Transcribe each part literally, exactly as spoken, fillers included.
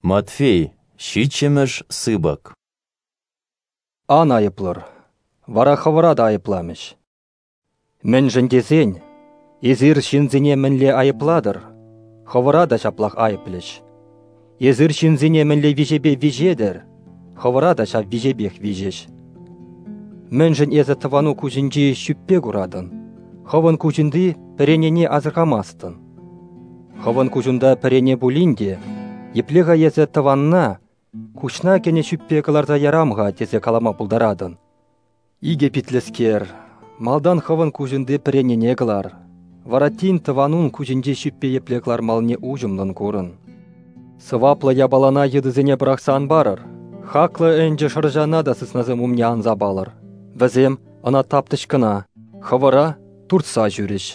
Матфей, ҫиччӗмӗш сыпӑк. Ан айӑплӑр, вара хӑвӑра та айӑпламӗҫ. Мӗншӗн тесен эсир ҫынсене мӗнле айӑплатӑр, хӑвӑра та ҫаплах айӑплӗҫ. Эсир ҫынсене мӗнле виҫепе виҫетӗр, хӑвӑра та ҫав виҫепех виҫӗҫ. Мӗншӗн эсӗ тӑвану куҫӗнчи ҫӳппе куратӑн, хӑвӑн куҫунти пӗренене асӑрхамастӑн? Хӑвӑн куҫунта пӗрене пулин те, епле-ха эсӗ тӑванна куҫна кӗнӗ ҫӳппе кӑларса ярам-ха тесе калама пултаратӑн? Икӗ питлӗскер, малтан хӑвӑн куҫунти пӗренене кӑлар, вара тин тӑванун куҫӗнчи ҫӳппе епле кӑлармаллине уҫӑмлӑн курӑн. Сӑваплӑ япалана йытӑсене пӑрахса ан парӑр, хаклӑ ӗнчӗ шӑрҫана та сыснасем умне ан сапалӑр. Вӗсем ӑна таптӗҫ кӑна, хӑвӑра туртса ҫӳрӗҫ.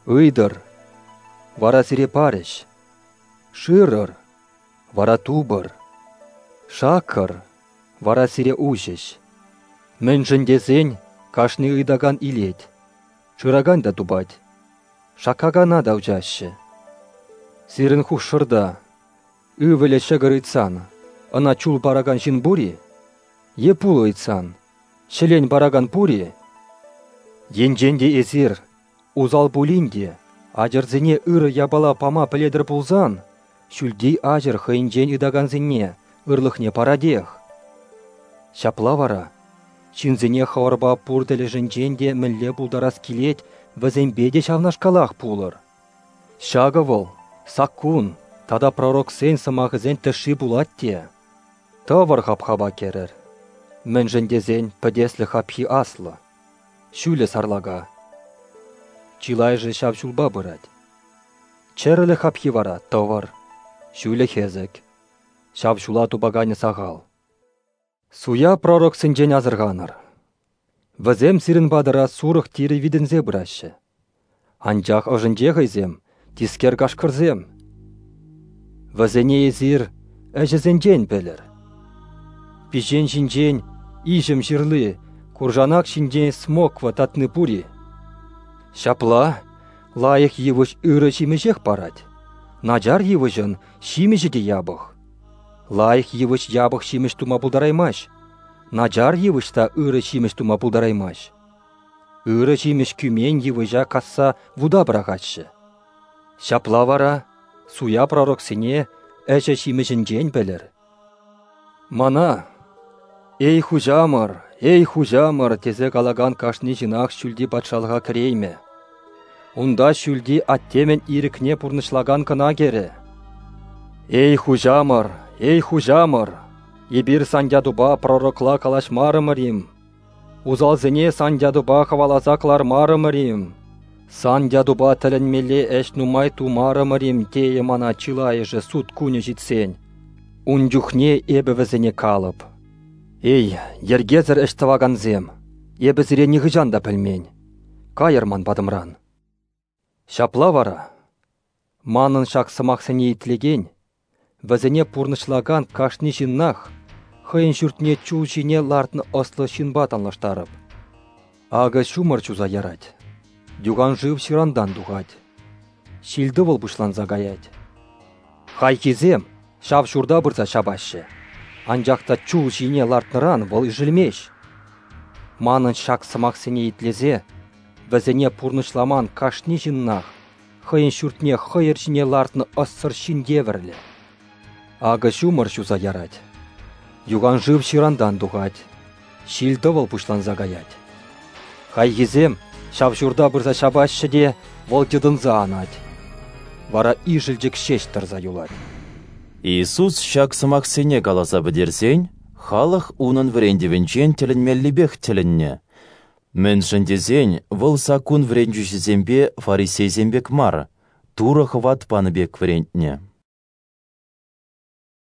Ыйтӑр, вара сире парӗҫ. Шырӑр, вара тупӑр. Шаккӑр, вара сире уҫӗҫ. Мӗншӗн тесен кашни ыйтакан илет, шыракан та тупать, шаккакана та уҫаҫҫӗ. Сирӗн хушшӑрта ывӑлӗ ҫӑкӑр ыйтсан, ӑна чул паракан ҫын пур-и? Е пулӑ ыйтсан, ҫӗлен паракан пур-и? Енчен те эсир, усал пулин те, ачӑрсене ырӑ япала пама пӗлетӗр пулсан, ҫӳлти аҫӑр хӑйӗнчен ыйтакансене ырлӑхне паратех. Ҫапла вара, ҫынсене хӑвӑрпа пур тӗлӗшӗнчен те мӗнле пултарас килет, вӗсемпе те ҫавнашкалах пулӑр. Ҫакӑ вӑл саккун тата пророксен сӑмахӗсен тӗшши пулать те. Тӑвӑр хапхапа кӗрӗр. Мӗншӗн тесен пӗтеслӗх хапхи аслӑ, ҫулӗ сарлака. Чылайӑшӗ ҫав ҫулпа пырать. Чӗрӗлӗх хапхи вара тӑвӑр, ҫулӗ хӗсӗк. Ҫав ҫула тупаканӗ сахал. Суя пророксенчен асӑрханӑр. Вӗсем сирӗн патӑра сурӑх тирӗ витӗнсе пыраҫҫӗ. Анчах ӑшӗнче хӑйсем тискер кашкӑрсем. Вӗсене эсир ӗҫӗсенчен пӗлӗр. Пиҫен ҫинчен иҫӗм ҫырли, куршанак ҫинчен смоква татни пур-и? Ҫапла, лайӑх йывӑҫ ырӑ ҫимӗҫех парать. Начар йывӑҫӑн ҫимӗҫӗ те япӑх. Лайӑх йывӑҫ япӑх ҫимӗҫ тума пултараймасть, начар йывӑҫ та ырӑ ҫимӗҫ тума пултараймасть. Ырӑ ҫимӗҫ кӳмен йывӑҫа касса вута пӑрахаҫҫӗ. Ҫапла вара суя пророксене ӗҫӗ ҫимӗҫӗнчен пӗлӗр. Мана: «Эй, хуҫамӑр, эй, хуҫамӑр!» тесе калакан кашни ҫынах ҫӳлти патшалӑха кӗреймӗ. Унта ҫӳлти Аттемӗн ирӗкне пурнӑҫлакан кӑна кӗрӗ. Эй, хуҫамӑр, эй, хуҫамӑр! Эпир сан ятупа пророкла калаҫмарӑмӑр-им? Усалсене сан ятупа хӑваласа кӑлармарӑмӑр-им? Сан ятупа тӗлӗнмелле ӗҫ нумай тумарӑмӑр-им тейӗ мана чылайӑшӗ суд кунӗ ҫитсен. Ун чухне эпӗ вӗсене калӑп: «Эй, йӗркесӗр ӗҫ тӑвакансем, эпӗ сире нихӑҫан та пӗлмен. Кайӑр ман патӑмран». Ҫапла вара, манӑн ҫак сӑмахсене итлекен, вӗсене пурнӑҫлакан кашни ҫыннах хӑйӗн ҫуртне чул ҫине лартнӑ ӑслӑ ҫынпа танлаштарӑп. Акӑ ҫумӑр ҫуса ярать, юханшыв ҫырантан тухать, ҫил-тӑвӑл пуҫланса каять. Хайхисем ҫав ҫурта пырса ҫапаҫҫӗ, анчах та чул ҫине лартнӑран вӑл ишӗлмест. Манӑн ҫак сӑмахсене итлесе вӗсене пурнӑҫламан кашни ҫыннах хӑйӗн ҫуртне хӑйӑр ҫине лартнӑ ӑссӑр ҫын евӗрлӗ. Акӑ ҫумӑр ҫуса ярать, юханшыв ҫырантан тухать, ҫил-тӑвӑл пуҫланса каять. Хайхисем ҫав ҫурта пырса ҫапаҫҫӗ те вӑл йӑтӑнса анать. Вара ишӗлчӗк ҫеҫ тӑрса юлать. Иисус ҫак сӑмахсене каласа пӗтерсен, халӑх унӑн вӗрентӗвӗнчен тӗлӗнмеллипех тӗлӗннӗ. Мӗншӗн тесен вӑл саккун вӗрентӳҫисемпе фарисейсем пек мар, Турӑ хӑват панӑ пек вӗрентнӗ.